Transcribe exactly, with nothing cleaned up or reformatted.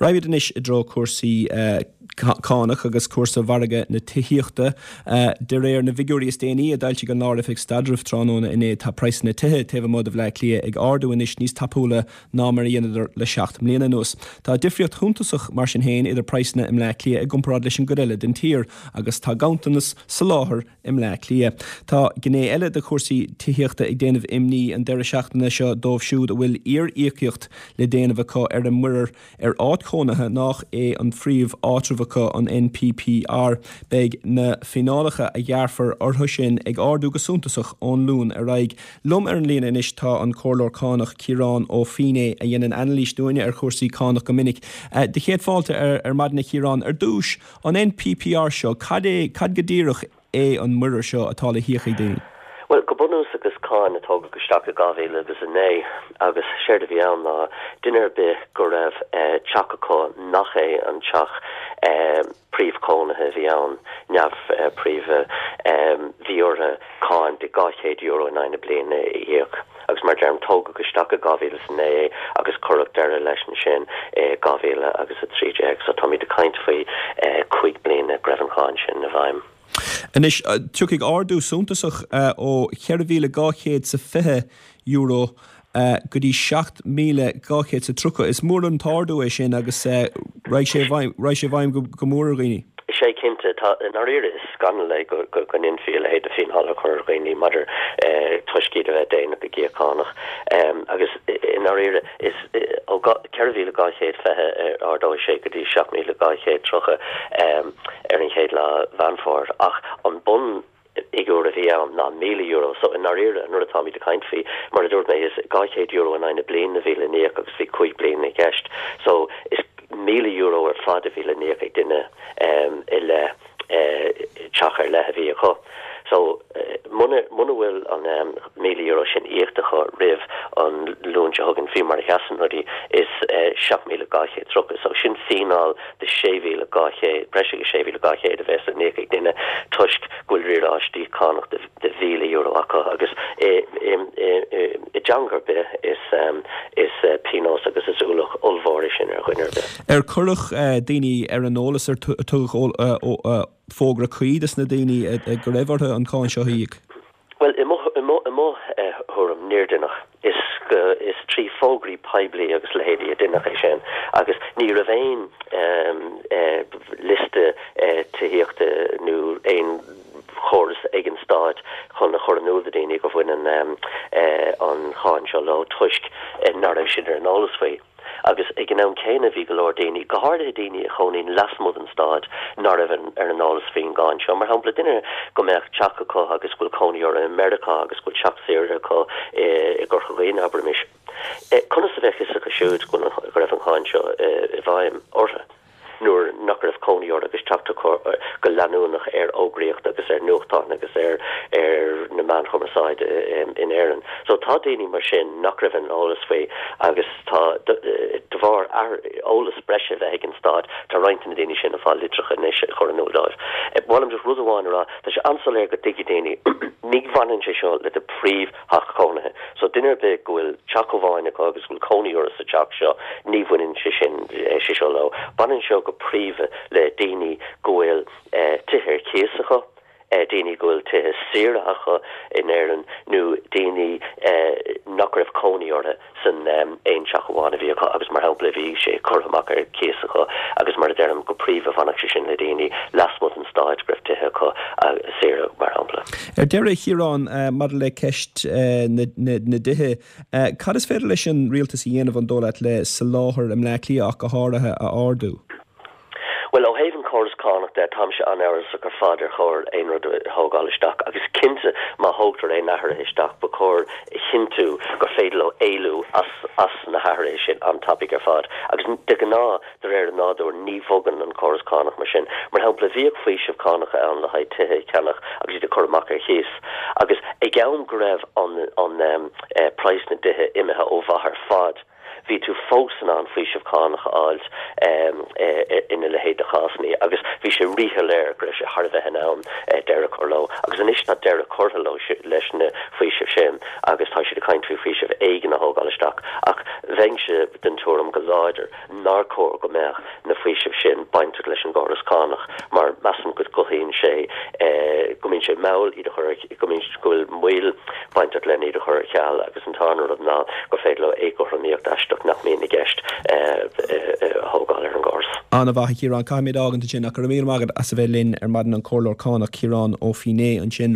Raghaimid anois i dtreo cúrsaí cánach agus cúrsa mhargadh na tithíochta. De réir na bhfigiúirí is déanaí a d'fhoilsigh an Lár-Oifig Staidrimh tráthnóna inné tá praghsanna tithe taobh amuigh de Bhleá Cliath ag ardú anois níos tapúla ná mar a dhéanadar le seacht mbliana anuas. Tá difríocht shuntasach mar sin féin idir praghsanna i mBleá Cliath i gcomparáid leis an gcuid eile den tír, agus tá ganntanas soláthair i mBleá Cliath. Tá gné eile de chúrsaí tithíochta ag déanamh imní an deireadh seachtaine seo dóibh siúd a bhfuil iar-íocaíocht le déanamh acu ar a muirear ar áit chónaithe nach é an phríomh-áitreabh acu an NPPR. Beidh na fíneálacha a ghearrfar orthu sin ag ardú go suntasach ón Luan ar aghaidh. Liom ar an líne anois tá an comhairleoir cánach Ciarán Ó Feinneadha a dhéanann anailís dúinne ar chúrsaí cánach go minic. De chéad fáilte ar, ar maidin a Chiaráin ar dtús an NPPR seo cad é cad go díreach é an muirear seo atá le híoc ag daoine. Well go bunúsach is cáin a tógadh isteach i dhá mhíle agus a naoi agus séard a bhí ann ná duine ar bith go raibh eh, teach acu nach é an teach eh, príomhchónaithe a bhí ann neamh eh, príomha bhí orthu cáin de dhá chéad euro in aghaidh na bliana a íoc. Agus mar deirim tógadh isteach i dhá mhíle is naoi agus cuireadh deireadh leis ansin dhá mhíle agus a trí déag, so táimid ag caint faoi cúig bliana go raibh an cháin sin i bhfeidhm. Anois tiocfaidh ardú suntasach ó cheithre mhíle dhá chéad sa fiche euro go dtí seacht míle dhá chéad sa tríocha. Is mór an t-ardú é sin agus raghaidh sé raghaidh sé i bhfeidhm go mór ar dhaoine. Sé cinnte tá i ndáiríre is scannal é go go go ndéanfaí a leithéid de fíneáil a chur ar dhaoine maidir toisc iad a bheith déanach ag íoc cánach. agus i ndáiríre is ó ceithre mhíle dhá chéad fiche ardóidh sé go dtí seacht míle dhá chéad tríocha ar an chéad lá Mheán Fómhair ach an bun fhigiúr a bhí ann ná míle euro so i ndáiríre nuair atáimid ag caint faoi mar a dúirt mé is dhá chéad euro in aghaidh na bliana a bhí le n-íoc agus bhí cúig bliana i gceist so is míle euro ar fad a bhí le n-íoc ag duine i leith teach ar leith a bhí acu. So muna muna bhfuil an míle euro sin íoctha acu roimh an Luan seo chugainn faoi mar a sheasann rudaí is seacht míle dhá chéad tríocha. So sin fíneáil de sé mhíle dhá chéad breis agus sé mhíle dhá chéad a bheas le n-íoc ag duine toisc go bhfuil riaráistí cánach de de mhíle euro acu agus i i i dteanga ar bith is is pionós agus is ualach ollmhór é sin ar dhuine ar bith. Ar cuireadh daoine ar an eolas ar tugadh fógra cuí dos na daoine go raibh orthu an cáin seo a íoc? Well i mo i mo i mo thuairim níor deineadh is go is trí fógraí poiblí agus leithéidí a deineadh é sin agus ní raibh aon liosta tithíochta nó aon chóras ag an stát chun a chur in iúl do dhaoine go bhaineann an cháin seo leo toisc nach raibh siad ar an eolas faoi. Agus ag an am céanna bhí go leor daoine, go háirithe daoine a chónaíonn lasmuigh den stát, nach raibh ar an eolas faoin gcáin seo. Mar shampla, duine go mbeadh teach acu agus go bhfuil cónaí orthu i Meiriceá agus go bhfuil teach saoire acu i gCorca Dhuibhne, abraimis. Conas a bheadh fhios acu siúd go raibh an cháin seo i bhfeidhm orthu? nuair nach raibh cónaí orthu agus teacht acu go leanúnach ar fhógraíocht agus ar nuachtáin agus ar ar na meáin chumarsáide in Éirinn. So tá daoine mar sin nach raibh an eolas faoi agus tá de bharr eolas breise bheith ag an stát tá roinnt de na daoine sin ag fáil litreacha anois a chur in iúl dóibh. Ba mhaith liom just rud amháin a rá, tá sé an-soiléir go dtuigfidh daoine ní bhaineann sé seo le do phríomhtheach cónaithe. So duine ar bith go bhfuil teach amháin acu agus go bhfuil cónaí orthu sa teach seo, ní bhaineann sé sin sé seo leo. Baineann seo go príomha le daoine go bhfuil tithe ar cíos acu, daoine go bhfuil tithe saoire acu in Éirinn nó daoine nach raibh cónaí orthu san aon teach amháin a bhí acu agus mar shampla bhí sé curtha amach ar cíos acu agus mar a deirim go príomha bhainfeadh sé sin le daoine lasmuigh den stát go raibh tithe acu saoire mar shampla. Ar deireadh Chiarán maidir le ceist na dtithe, cad is féidir leis an rialtas a dhéanamh an dóigh leat le soláthar i mBleá Cliath ach go háirithe a ardú? Bhuel, ó thaobh an córas cánach de, táimse an-amhrasach ar fad ar chóir aon rud a thógáil isteach agus cinnte má thógtar aon athruithe isteach ba chóir a chinntiú gur féidir leo éalú as as na hathruithe sin an-tapaidh ar fad. Agus de ghnáth, de réir an nádúir, ní bhogann an córas cánach mar sin. Mar shampla, bhíodh faoiseamh cánach ann le haghaidh tithe a cheannach agus iad a chur amach ar chíos agus ag am go raibh an an praghas na dtithe imithe ó mhaith ar fad, bhí tú fós in ann faoiseamh cánach a fháilt ina leithéid de chásanna agus bhí sé ríshoiléir go raibh sé thar a bheith in am deireadh a chur leo. Agus anois tá deireadh curtha leo leis na faoisimh sin agus tá siad ag caint faoi faoiseamh éigin a thógáil isteach ach bheinnse den tuairim go láidir nár chóir go mbeadh na faoisimh sin bainteach leis an gcóras cánach mar measaim go gcothaíonn sé go mbíonn sé mall iad a chur go mbíonn go bhfuil moill bainteach len iad a chur ar ceal agus an tarna rud ná gur féidir leo éagothromaíocht aisteach nach mbíonn i gceist a thógáil ar an gcóras. An-mhaith a Chiaráin, caithfimid fhágaint ansin ach go raibh míle maith agat as a bheith linn ar maidin an Comhairleoir Cánach Ciarán Ó Fínné ansin.